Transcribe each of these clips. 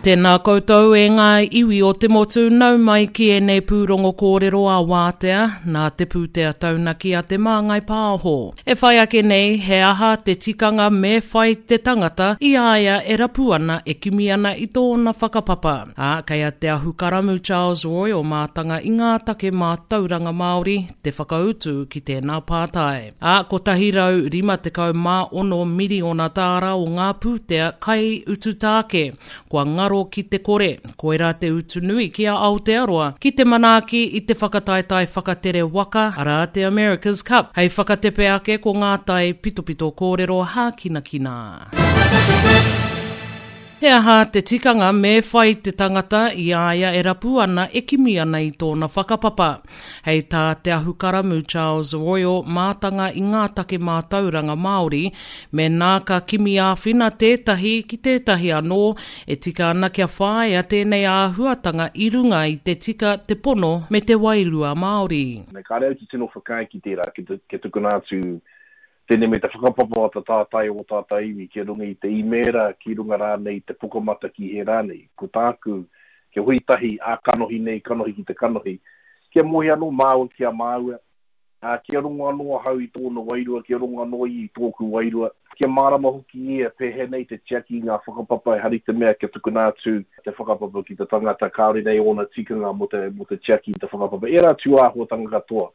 Tēnā koutou e ngā iwi o te motu, nau mai ki ēnei pūrongo kōrero a Wātea, nā te pūtea taunaki a Te Māngai Pāho. E whai ake nei, he aha te tikanga me whai te tangata i a ia e rapu ana, e kimi ana i tōna whakapapa? Ā, kei a Te Ahukaramū Charles Roy o Mātanga i ngā take mātauranga Māori te whakautu ki tēnā pātai. Ā, 156 miriona tāra o ngā pūtea kai utu tāke kua ngaro ki te kore, koirā te utu nui ki a Aotearoa ki te manaaki i te whakataetae whakatere waka, arā te America's Cup, hei whakatepe ake ko ngā tai pitopito kōrero hākinakina. He aha te tikanga me whai te tangata i a ia e rapu ana, e kimi ana i tōna whakapapa? Hei tā Te Ahukaramū Charles Royal mātanga i ngā take mātauranga Māori, mēnā ka kimi āwhina tētahi ki tētahi anō, e tika ana kia whāia tēnei āhuatanga i runga i te tika, te pono me te wairua Māori. Kāre au te tino whakaae ki tērā, kia tukuna atu Tēnei me te whakapapa o te tātai o ō tātou iwi ki runga i te īmēra, ki runga rānei i te pukamata ki hē rānei. Ko tāku, kia hui tahi ā-kanohi nei, kanohi ki te kanohi, kia moe anō māua ki a māua, ā, kia rongo anō ahau i tōna wairua, kia rongo anō ia i tōku wairua, kia mārama hoki ia pēhea nei te tiaki i ngā whakapapa, ehara i te mea kia tukuna atu te whakapapa ki te tangata kāore nei ōna tikanga mō te, mō te tiaki i te whakapapa. Ērā tūāhuatanga katoa.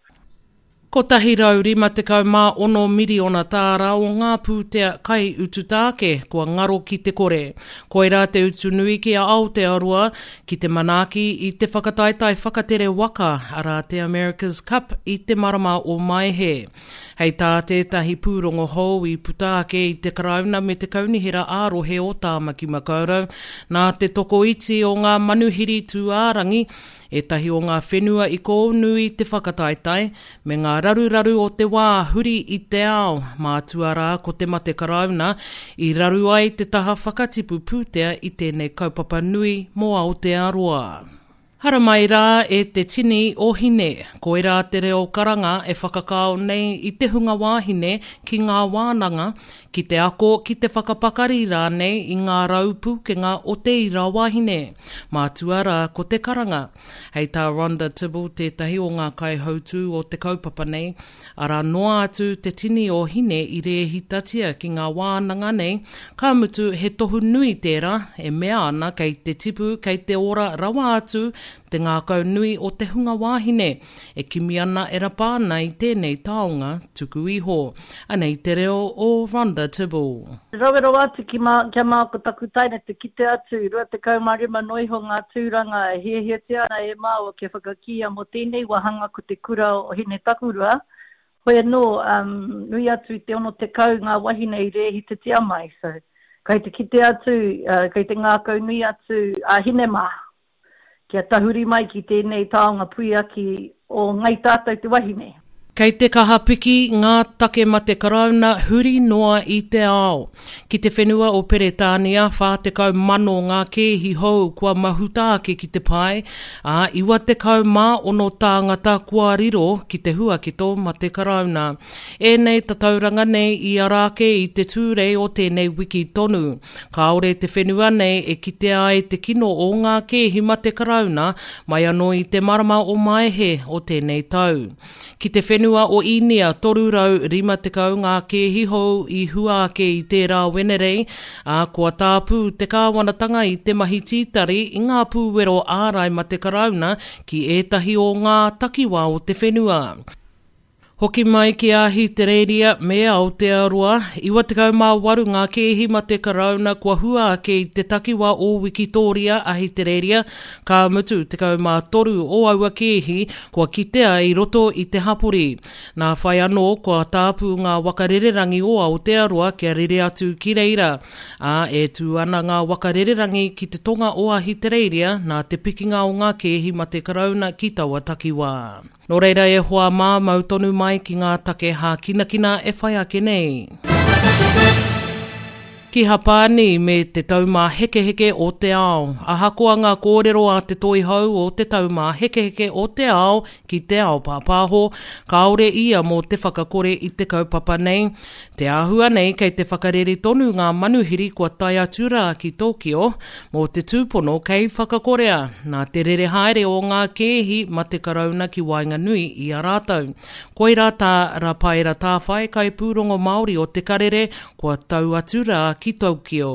156 miriona tāra o ngā pūtea kai utu tāke kua ngaro ki te kore. Koirā te utu nui ki a Aotearoa ki te manaaki i te whakataetae whakatere waka, arā te America's Cup i te marama o Maehe. Hei tā tētahi pūrongo hou i puta ake i te Karauna me te Kaunihera ā-Rohe o Tāmaki Makaurau, nā te tokoiti o ngā manuhiri tūārangi Ētahi o ngā whenua i kōunu i te whakataetae, me ngā raruraru o te wā huri i te ao, mātua rā ko te mate karauna, i raru ai te taha whakatipu pūtea i tēnei kaupapa nui mō Aotearoa. Haramai rā e te tini o Hine, koirā te reo karanga e whakakao nei i te hunga wāhine ki ngā wānanga, ki te ako, ki te whakapakari rānei i ngā rau pūkenga o te ira wahine. Mātua rā ko te karanga. Hei tā Rhonda Tibble tētahi o ngā kaihautū o te kaupapa nei, arā noa atu te tini o Hine i rēhitatia ki ngā wānanga nei, ka mutu he tohu nui tērā e mea ana kei te tipu, kei te ora rawa atu te ngākau nui o te hunga wāhine. E kimi ana, e rapa ana i tēnei taonga tuku iho. Anei te reo o Rhonda Tibble. Rawe rawa atu ki mā, kia mā ko taku taina te kite atu, 25 noa iho ngā tūranga e hiahiatia ana e māua kia whakakīia mō tēnei wāhanga ko te kura o Hinetakurua, hoi anō, um, nui atu i te 60 ngā wahine i rēhitatia mai, so, kei te kite atu, uh, kei te ngākaunui atu a Hine mā. Kia tahuri mai ki tēnei taonga puiaki o Ngai Tātou te Wahine. Kei te kaha piki ngā take mate karauna huri noa i te ao. Ki te whenua o Peretānia, 40,000 ngā kēhi hou kua mahuta ake ki te pae, ā, 96 tāngata kua riro ki te huaketo mate karauna. Ēnei tatauranga nei i ara ake i te Tūrei o tēnei wiki tonu. Kāore te whenua nei e kitea ai te kino o ngā kēhi mate Karauna mai anō i te marama o Maehe o tēnei tau. Ki te whenua o Īnia, 350 ngā kēhi hou i hua ake i tērā Wenerei, ā, kua tāpū te kāwanatanga i te mahi tītari i ngā pūwero ārai mate Karauna ki ētahi o ngā takiwā o te whenua. Hoki mai ki Ahitereiria me Aotearoa, 98 ngā kēhi mate karauna kua hua ake i te takiwā o Wikitōria, Ahitereiria, ka mutu 13 o aua kēhi kua kitea i roto i te hapori. Nā whai anō kua tāpū ngā waka rererangi o Aotearoa kia rere atu ki reira, ā, e tū ana ngā waka rererangi ki te tonga o Ahitereiria nā te pikinga o ngā kēhi mate karauna ki taua takiwā. Nō reira e hoa mā, mau tonu mai ki ngā take hākinakina e whai ake nei. Ki Hapani me te Taumāhekeheke o te Ao. Ahakoa ngā kōrero a te Toihau o te Taumāhekeheke o te Ao ki te ao pāpāho, kāore ia mō te whakakore i te kaupapa nei. Te āhua nei kei te whakarere tonu ngā manuhiri kua tae atu rā ki Tokyo mō te tūpono kei whakakorea nā te rere haere o ngā kēhi mate karauna ki waenganui i a rātou. Koirā tā Rapaera Tāwhai, kaipūrongo Māori o Te Karere, kua tau atu rā ki Tokyo.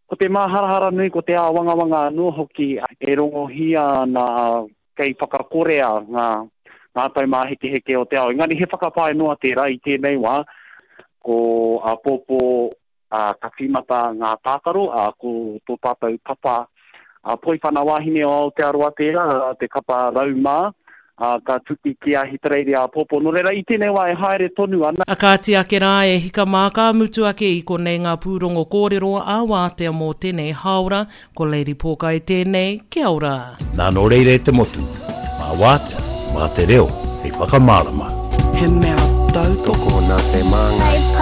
Ko te māharahara nui, ko te āwangawanga anō hoki e rongohia ana kei whakakorea ngā, ngā taumāhekeheke o te ao. Engari he whakapae noa tērā i tēnei wā, ko āpōpō ā, ka tīmata ngā tākaro, ā, ko tō tātou kapa ā, Poiwhana Wāhine o Aotearoa tērā, ā, te kapa Raumā, ā, ka tuki ki Ahitereiria āpōpō. Nō reira, i tēnei wā e haere tonu ana. A kāti ake rā e hika mā ka mutu ake i konei ngā pūrongo kōrero ā wātea mō tenei hāora, Ko Lady Pōkai tēnei, kia ora. Nā nō reira e te motu, mā wātea, mā te reo hei whakamārama. He mea tautoko nā te māngai.